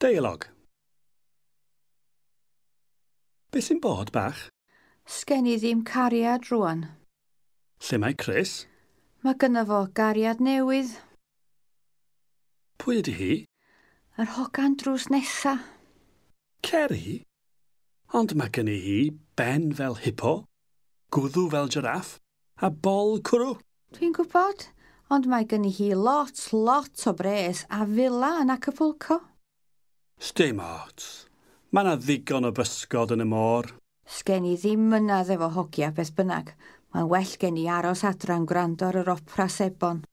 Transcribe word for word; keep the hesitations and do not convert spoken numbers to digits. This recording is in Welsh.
Deialog. Be sy'n bod, bach? Sgen i ddim cariad rwan. Lle mae Chris? Mae gynno fo gariad newydd. Pwy ydy hi? Yr hogan drws nesa. Ceri? Ond mae gynni hi ben fel hippo, gwddw fel jiraff, a bol cwrw. Dwi'n gwybod, ond mae gynni hi lot, lot o bres a villa yn Acapulco. Sdim ots. Mae 'na ddigon o bysgod yn y môr. Sgen i ddim mynadd efo hogia beth bynnag. Mae'n well gen i aros adra'n gwrando ar yr opera sebon.